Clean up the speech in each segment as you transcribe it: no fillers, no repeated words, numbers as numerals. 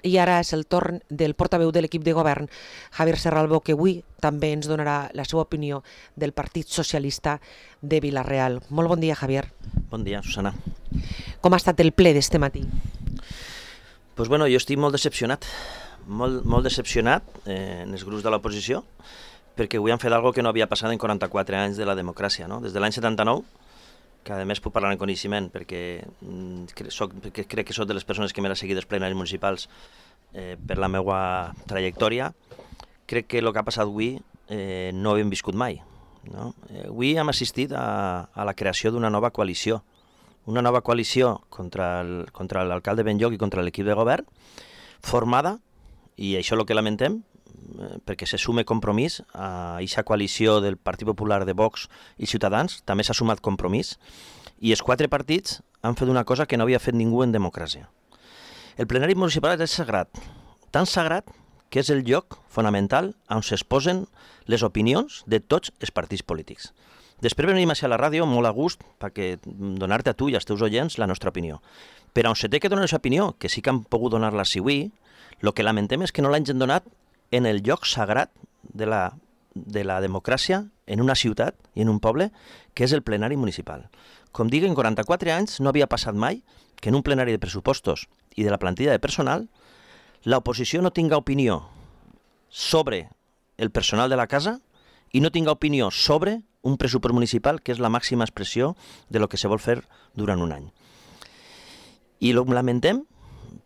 I ara és el torn del portaveu de l'equip de govern, Javier Serralbo, que avui també ens donarà la seva opinió del Partit Socialista de Vila-real. Molt bon dia, Javier. Bon dia, Susana. Com ha estat el ple d'este matí? Pues bueno, jo estic molt decepcionat, molt decepcionat en els grups de l'oposició, perquè avui han fet algo que no havia passat en 44 anys de la democràcia, no? Des de l'any 79, que a més puc parlar en coneixement perquè crec que soc de les persones que m'he seguit els plenaris municipals per la meva trajectòria. Crec que el que ha passat avui no ho hem viscut mai. No? Avui hem assistit a la creació d'una nova coalició, contra l'alcalde Benlloc i contra l'equip de govern, formada, i això és el que lamentem, perquè se sume Compromís a aquesta coalició del Partit Popular, de Vox i Ciutadans, també s'ha sumat Compromís, i els 4 partits han fet una cosa que no havia fet ningú en democràcia. El plenari municipal és sagrat, tan sagrat que és el lloc fonamental on s'exposen les opinions de tots els partits polítics. Després venim a la ràdio molt a gust perquè donar-te a tu i als teus oients la nostra opinió. Però on se té que donar aquesta opinió, que sí que han pogut donar-la si avui, el que lamentem és que no l'hagin donat en el lloc sagrat de la democràcia en una ciutat i en un poble, que és el plenari municipal. Com dic, en 44 anys no havia passat mai que en un plenari de pressupostos i de la plantilla de personal l'oposició no tinga opinió sobre el personal de la casa i no tinga opinió sobre un pressupost municipal que és la màxima expressió de lo que se vol fer durant un any. I ho lamentem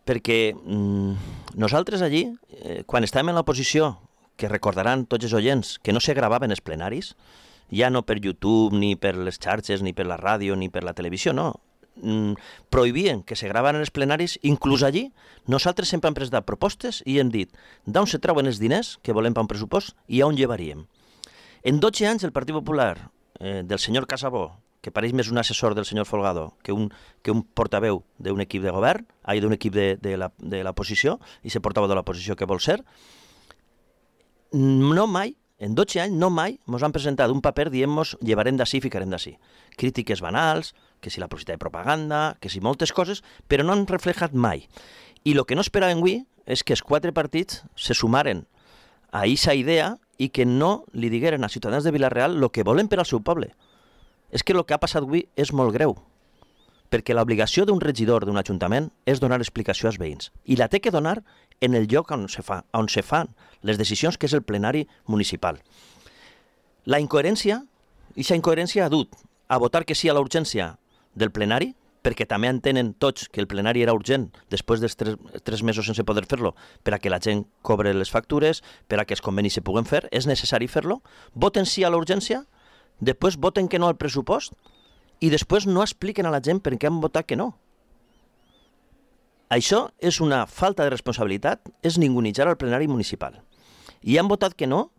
perquè nosaltres allí, quan estàvem en l'oposició, que recordaran tots els oients que no se gravaven els plenaris, ja no per YouTube, ni per les xarxes, ni per la ràdio, ni per la televisió, no. Prohibien que se gravaven els plenaris, inclús allí, nosaltres sempre hem presentat propostes i hem dit d'on se treuen els diners que volem per un pressupost i on llevaríem. En 12 anys el Partit Popular del senyor Casabó, que pareix més un assessor del senyor Folgado que un portaveu d'un equip de govern, d'un equip de l'oposició, i ser portaveu de l'oposició que vol ser, no mai, en 12 anys, no mai ens han presentat un paper dient-nos llevarem d'ací i ficarem d'ací. Crítiques banals, que si la publicitat de propaganda, que si moltes coses, però no han reflejat mai. I el que no esperàvem avui és que els 4 partits se sumaren a aquesta idea i que no li digueren als ciutadans de Vila-real el que volen per al seu poble. És que el que ha passat avui és molt greu, perquè l'obligació d'un regidor d'un ajuntament és donar explicació als veïns, i la té que donar en el lloc on se fan les decisions, que és el plenari municipal. La incoherència, aquesta incoherència ha dut a votar que sí a la urgència del plenari, perquè també entenen tots que el plenari era urgent després dels 3 mesos sense poder fer-lo, per a que la gent cobre les factures, per a que els convenis se puguen fer, és necessari fer-lo, voten sí a la urgència, després voten que no al pressupost i després no expliquen a la gent per què han votat que no. Això és una falta de responsabilitat, és ningunitzar al plenari municipal. I han votat que no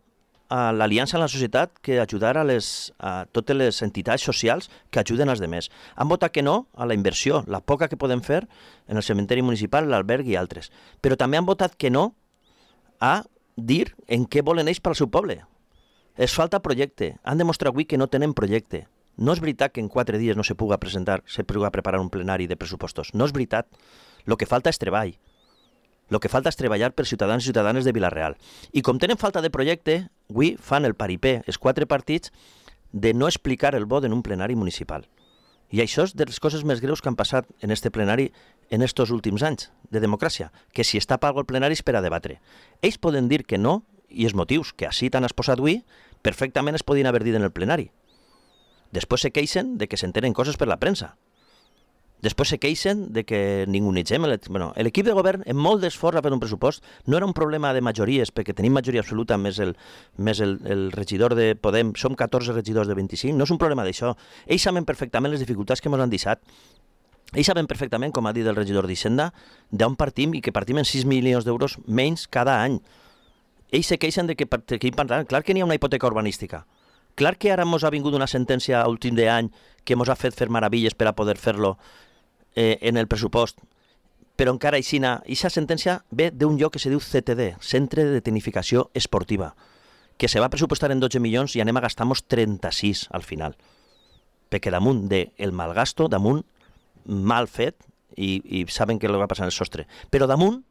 a l'Aliança en la Societat que ajudara a totes les entitats socials que ajuden als demés. Han votat que no a la inversió, la poca que podem fer en el cementeri municipal, l'alberg i altres. Però també han votat que no a dir en què volen ells per al seu poble. Es falta projecte. Han demostrat avui que no tenen projecte. No és veritat que en 4 dies no se puga preparar un plenari de pressupostos. No és veritat. El que falta és treball. El que falta és treballar per ciutadans i ciutadanes de Vila-real. I com tenen falta de projecte, avui fan el paripé, els 4 partits, de no explicar el vot en un plenari municipal. I això és de les coses més greus que han passat en este plenari en estos últims anys de democràcia, que si està pago el plenari és per a debatre. Ells poden dir que no, i els motius que així t'han exposat avui, perfectament es podien haver dit en el plenari. Després se queixen de que s'entenen coses per la premsa. Després se queixen de que ningunitzem. L'equip de govern, en molt d'esforç a fer un pressupost, no era un problema de majories, perquè tenim majoria absoluta més el regidor de Podem, som 14 regidors de 25, no és un problema d'això. Ells saben perfectament les dificultats que ens han deixat. Ells saben perfectament, com ha dit el regidor d'Hisenda, d'on partim i que partim en 6 milions d'euros menys cada any. Ells se queixen de que clar que n'hi ha una hipoteca urbanística. Clar que ara ens ha vingut una sentència a últim d'any que ens ha fet fer meravilles per a poder fer-lo en el pressupost, però encara aquesta sentència ve d'un lloc que se diu CTD, Centre de Tecnificació Esportiva, que se va pressupostar en 12 milions i anem a gastar-nos 36 al final. Perquè damunt del malgasto, damunt mal fet, i saben què va passar en el sostre, però damunt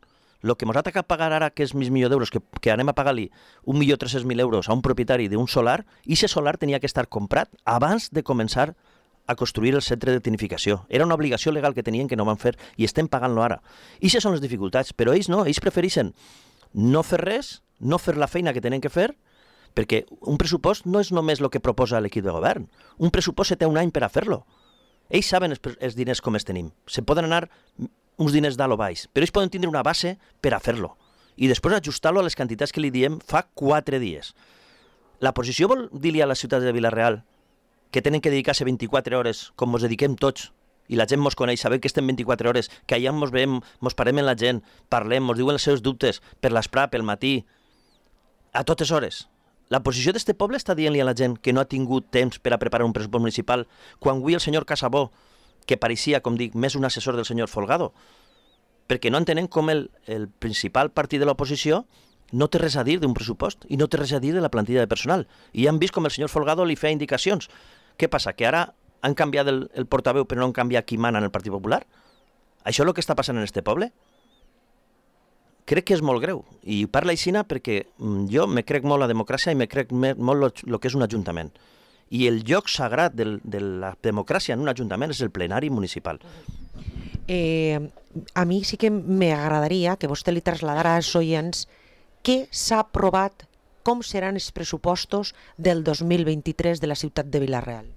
El que ens ha tocat pagar ara, que és mig milió d'euros, que anem a pagar-li 1.300.000 euros a un propietari d'un solar, i aquest solar tenia que estar comprat abans de començar a construir el centre de tecnificació. Era una obligació legal que tenien que no van fer i estem pagant-lo ara. I aquestes són les dificultats, però ells no, ells prefereixen no fer res, no fer la feina que tenen que fer, perquè un pressupost no és només el que proposa l'equip de govern. Un pressupost se té un any per a fer-lo. Ells saben els diners com els tenim. Se poden anar uns diners dalt o baix, però ells poden tindre una base per a fer-lo i després ajustar-lo a les quantitats que li diem fa 4 dies. La posició vol dir-li a la ciutat de Vila-real que tenen que dedicar-se 24 hores, com ens dediquem tots, i la gent mos coneix, sabem que estem 24 hores, que allà mos veiem, mos parem amb la gent, parlem, mos diuen els seus dubtes per l'esprà, pel matí, a totes hores. La posició d'este poble està dient-li a la gent que no ha tingut temps per a preparar un pressupost municipal, quan avui el senyor Casabó, que pareixia, com dic, més un assessor del senyor Folgado, perquè no entenen com el principal partit de l'oposició no té res a dir d'un pressupost i no té res a dir de la plantilla de personal. I han vist com el senyor Folgado li feia indicacions. Què passa? Que ara han canviat el portaveu però no han canviat qui mana en el Partit Popular? Això és el que està passant en este poble? Crec que és molt greu. I parla aixina perquè jo me crec molt la democràcia i me crec molt el que és un ajuntament. I el lloc sagrat de la democràcia en un ajuntament és el plenari municipal. A mi sí que m'agradaria que vostè li traslladara als oients què s'ha aprovat, com seran els pressupostos del 2023 de la ciutat de Vila-real.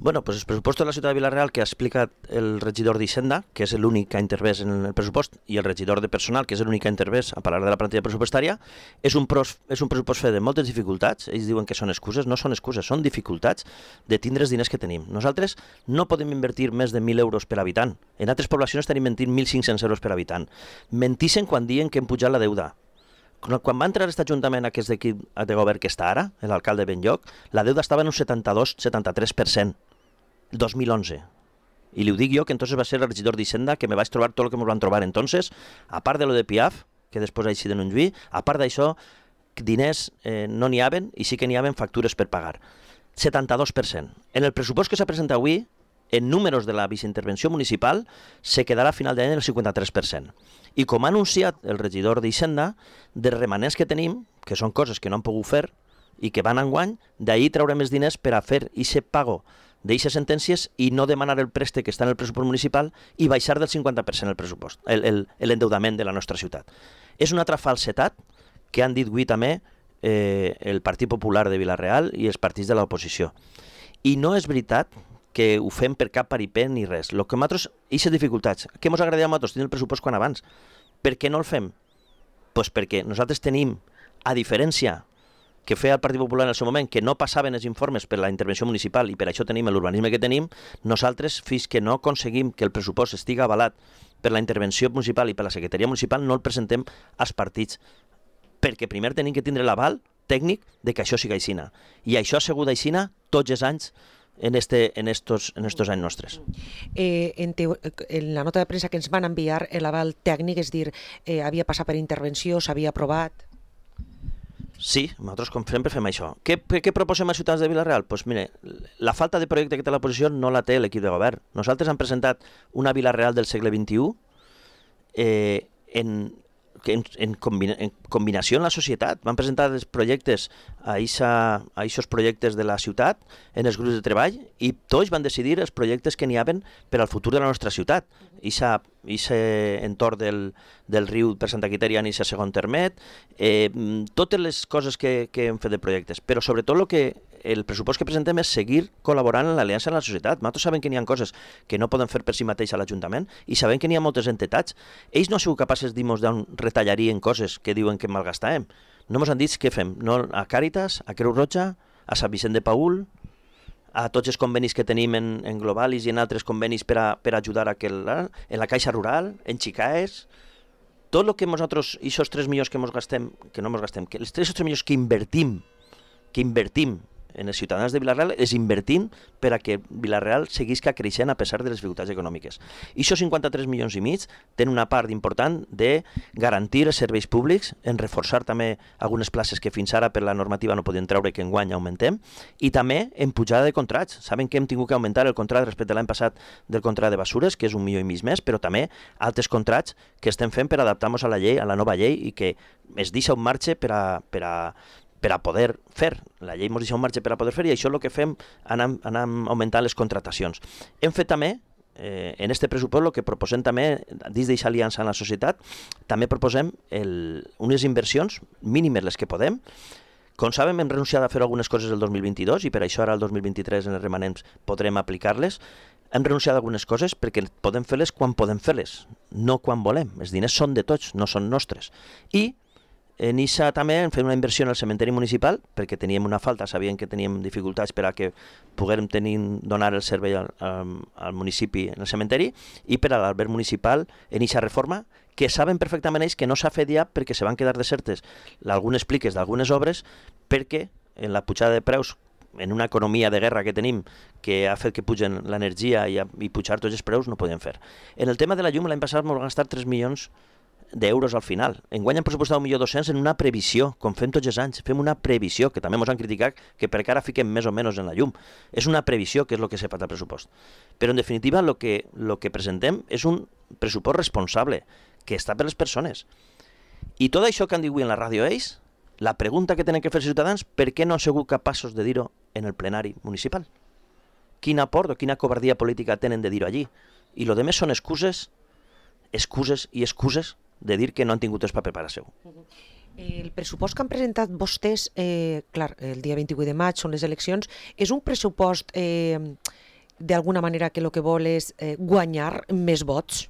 Bueno, pues els pressupostos de la ciutat de Vila-real que ha explicat el regidor d'Hisenda, que és l'únic que ha intervès en el pressupost, i el regidor de personal, que és l'únic que ha intervès a parlar de la plantilla pressupostària, és un pressupost fet de moltes dificultats. Ells diuen que són excuses, no són excuses, són dificultats de tindre els diners que tenim. Nosaltres no podem invertir més de 1.000 euros per habitant. En altres poblacions estan invertint 1.500 euros per habitant. Mentixen quan diuen que hem pujat la deuda. Quan va entrar aquest ajuntament, aquest equip de govern que està ara, l'alcalde Benlloc, la deuda estava en un 72-73%, el 2011. I li ho dic jo, que entonces va ser el regidor d'Hisenda, que me vaig trobar tot el que me van trobar entonces, a part de lo de Piaf, que després així de Montjuïc, a part d'això, diners no n'hi haven i sí que n'hi haven factures per pagar. 72%. En el pressupost que s'ha presentat avui, en números de la viceintervenció municipal, se quedarà a final d'any el 53%. I com ha anunciat el regidor d'Hisenda, de remanents que tenim, que són coses que no han pogut fer i que van enguany, d'ahir traurem els diners per a fer aquest pago d'eixes sentències i no demanar el préstec que està en el pressupost municipal i baixar del 50% el pressupost, l'endeudament de la nostra ciutat. És una altra falsetat que han dit avui també el Partit Popular de Vila-real i els partits de l'oposició. I no és veritat que ho fem per cap paripent ni res. El que nosaltres, aquestes dificultats, què ens agradaria a nosaltres tenir el pressupost quan abans? Per què no el fem? Doncs perquè nosaltres tenim, a diferència que feia el Partit Popular en el seu moment, que no passaven els informes per la intervenció municipal i per això tenim l'urbanisme que tenim, nosaltres, fins que no aconseguim que el pressupost estigui avalat per la intervenció municipal i per la secretaria municipal, no el presentem als partits, perquè primer tenim que tindre l'aval tècnic de que això sigui aixina. I això ha sigut aixina tots els anys en estos anys nostres. En la nota de premsa que ens van enviar, l'aval tècnic, és dir, havia passat per intervenció, s'havia aprovat? Sí, nosaltres com sempre fem això. Què proposem a ciutats de Vila-real? Doncs mire, la falta de projecte que té l'oposició no la té l'equip de govern. Nosaltres hem presentat una Vila-real del segle XXI en combinació amb la societat. Van presentar els projectes a aquests projectes de la ciutat en els grups de treball i tots van decidir els projectes que n'hi havia per al futur de la nostra ciutat. Aquest entorn del riu per Santa Quitèria en aquest segon termet, totes les coses que hem fet de projectes, però sobretot el pressupost que presentem és seguir col·laborant en l'aliança amb la societat. Nosaltres sabem que n'hi ha coses que no poden fer per si mateix a l'Ajuntament i sabem que n'hi ha moltes entitats. Ells no han sigut capaços de dir-nos d'on retallarien coses que diuen que malgastàvem. No ens han dit què fem. No, a Càritas, a Creu Roja, a Sant Vicent de Paül, a tots els convenis que tenim en Globalis i en altres convenis per ajudar en la Caixa Rural, en Xicaes, tot el que nosaltres, aquests 3 milions que ens gastem, que no ens gastem, que els 3 milions que invertim en els ciutadans de Vila-real és invertint per a que Vila-real seguisca creixent a pesar de les dificultats econòmiques. I això 53 milions i mig tenen una part important de garantir els serveis públics, en reforçar també algunes places que fins ara per la normativa no podien treure que enguany augmentem, i també en pujada de contrats. Saben que hem tingut que augmentar el contracte respecte a l'any passat del contracte de basures, que és 1,5 milions més, però també altres contrats que estem fent per adaptar-nos a la llei, a la nova llei, i que es deixa un marge per a poder fer. La llei ens deixa un marge per a poder fer, i això és el que fem, anem augmentant les contratacions. Hem fet també, en este pressupost, el que proposem també, dins d'aquesta aliança en la societat, també proposem unes inversions mínimes les que podem. Com sabem, hem renunciat a fer algunes coses el 2022 i per això ara el 2023 en els remanents podrem aplicar-les. Hem renunciat a algunes coses perquè podem fer-les quan podem fer-les, no quan volem. Els diners són de tots, no són nostres. I en ISA també hem fet una inversió en el cementeri municipal perquè teníem una falta, sabíem que teníem dificultats per a que poguérem donar el servei al municipi en el cementeri, i per a l'alberg municipal en ISA reforma, que saben perfectament ells que no s'ha fet ja perquè se van quedar desertes algunes pliques d'algunes obres perquè en la pujada de preus, en una economia de guerra que tenim, que ha fet que pugen l'energia i pujar tots els preus, no podien fer. En el tema de la llum, l'any passat vam gastar 3 milions d'euros al final. Enguany hem pressupostat 1.200.000 en una previsió, com fem tots els anys. Fem una previsió, que també ens han criticat que per cara fiquem més o menys en la llum. És una previsió, que és el que s'ha fet al pressupost. Però en definitiva el que presentem és un pressupost responsable, que està per les persones. I tot això que han dit avui en la ràdio ells, la pregunta que tenen que fer els ciutadans, per què no han sigut capaços de dir-ho en el plenari municipal? Quin aport o quina covardia política tenen de dir-ho allí? I el que més són excuses i excuses de dir que no han tingut temps per preparar seu. El pressupost que han presentat vostès, clar, el dia 28 de maig són les eleccions, és un pressupost d'alguna manera que el que vol és guanyar més vots?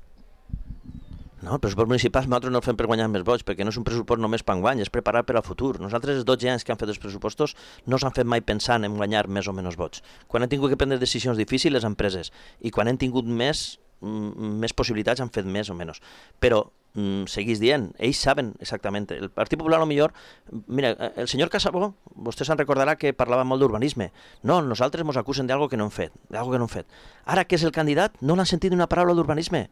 No, el pressupost municipal nosaltres no el fem per guanyar més vots, perquè no és un pressupost només per enguany, és preparar per al futur. Nosaltres, els 12 anys que han fet els pressupostos, no s'han fet mai pensant en guanyar més o menys vots. Quan hem tingut que prendre decisions difícils, les han preses, i quan hem tingut més possibilitats han fet més o menys. Però seguís dient, ells saben exactament. El Partit Popular, millor, mira, el senyor Casabó, vostè se'n recordarà que parlava molt d'urbanisme. No, nosaltres ens acusen d'algo que no hem fet, Ara que és el candidat, no l'han sentit una paraula d'urbanisme.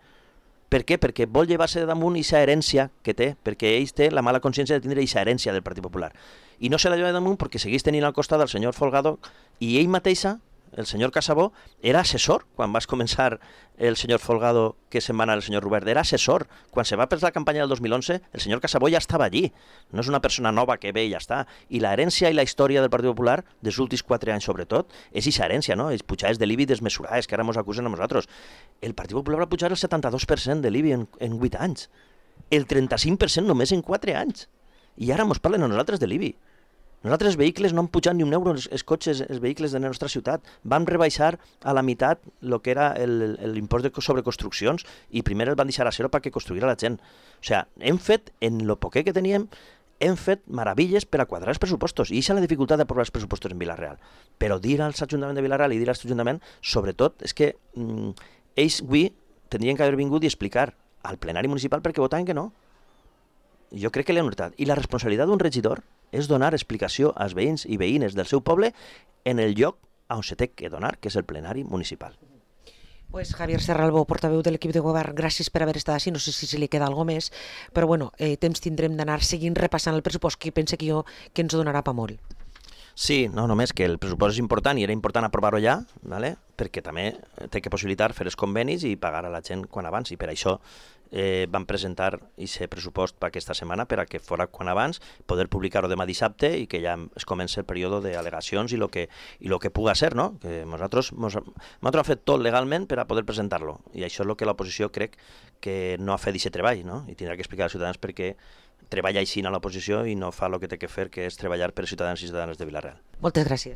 Per què? Perquè vol llevar-se de damunt aquesta herència que té, perquè ells té la mala consciència de tindre aquesta herència del Partit Popular. I no se la lleva de damunt perquè segueix tenint al costat el senyor Folgado, i ell mateixa, el senyor Casabó, era assessor quan va començar el senyor Folgado, que se'n va anar el senyor Robert, era assessor. Quan se va per la campanya del 2011, el senyor Casabó ja estava allí. No és una persona nova que ve i ja està. I la herència i la història del Partit Popular, dels últims 4 anys sobretot, és aquesta herència, no? Els pujades de l'IBI desmesurades que ara ens acusen a nosaltres. El Partit Popular va pujar el 72% de l'IBI en 8 anys. El 35% només en 4 anys. I ara ens parlen a nosaltres de l'IBI. Nosaltres els vehicles no han pujat ni un euro, els cotxes, els vehicles de la nostra ciutat. Vam rebaixar a la meitat el que era l'impost sobre construccions i primer el van deixar a zero perquè construïra la gent. O sigui, hem fet, en el poquet que teníem, hem fet meravilles per a quadrar els pressupostos. I això és la dificultat d'aprovar els pressupostos en Vila-real. Però dir als ajuntaments de Vila-real i dir als ajuntaments, sobretot, és que ells avui tindrien que haver vingut i explicar al plenari municipal perquè votaven que no. Jo crec que l'han notat. I la responsabilitat d'un regidor és donar explicació als veïns i veïnes del seu poble en el lloc on se té que donar, que és el plenari municipal. Pues Javier Serralbó, portaveu de l'equip de govern, gràcies per haver estat així. No sé si li queda alguna més, però bueno, temps tindrem d'anar seguint repassant el pressupost, que pense que ens donarà pa molt. Sí, no, només que el pressupost és important i era important aprovar-ho ja, ¿vale? Perquè també té que possibilitar fer els convenis i pagar a la gent quan abans, i per això vam presentar aquest pressupost per aquesta setmana per a que fora quan abans, poder publicar-ho demà dissabte i que ja es comença el període d'al·legacions i lo que puga ser, no? Que nosaltres hem fet tot legalment per a poder presentar-lo, i això és el que l'oposició crec que no ha fet aquest treball, no? I tindrà que explicar als ciutadans per què treballa així a l'oposició i no fa el que té que fer, que és treballar per als ciutadans i ciutadanes de Vila-real. Moltes gràcies.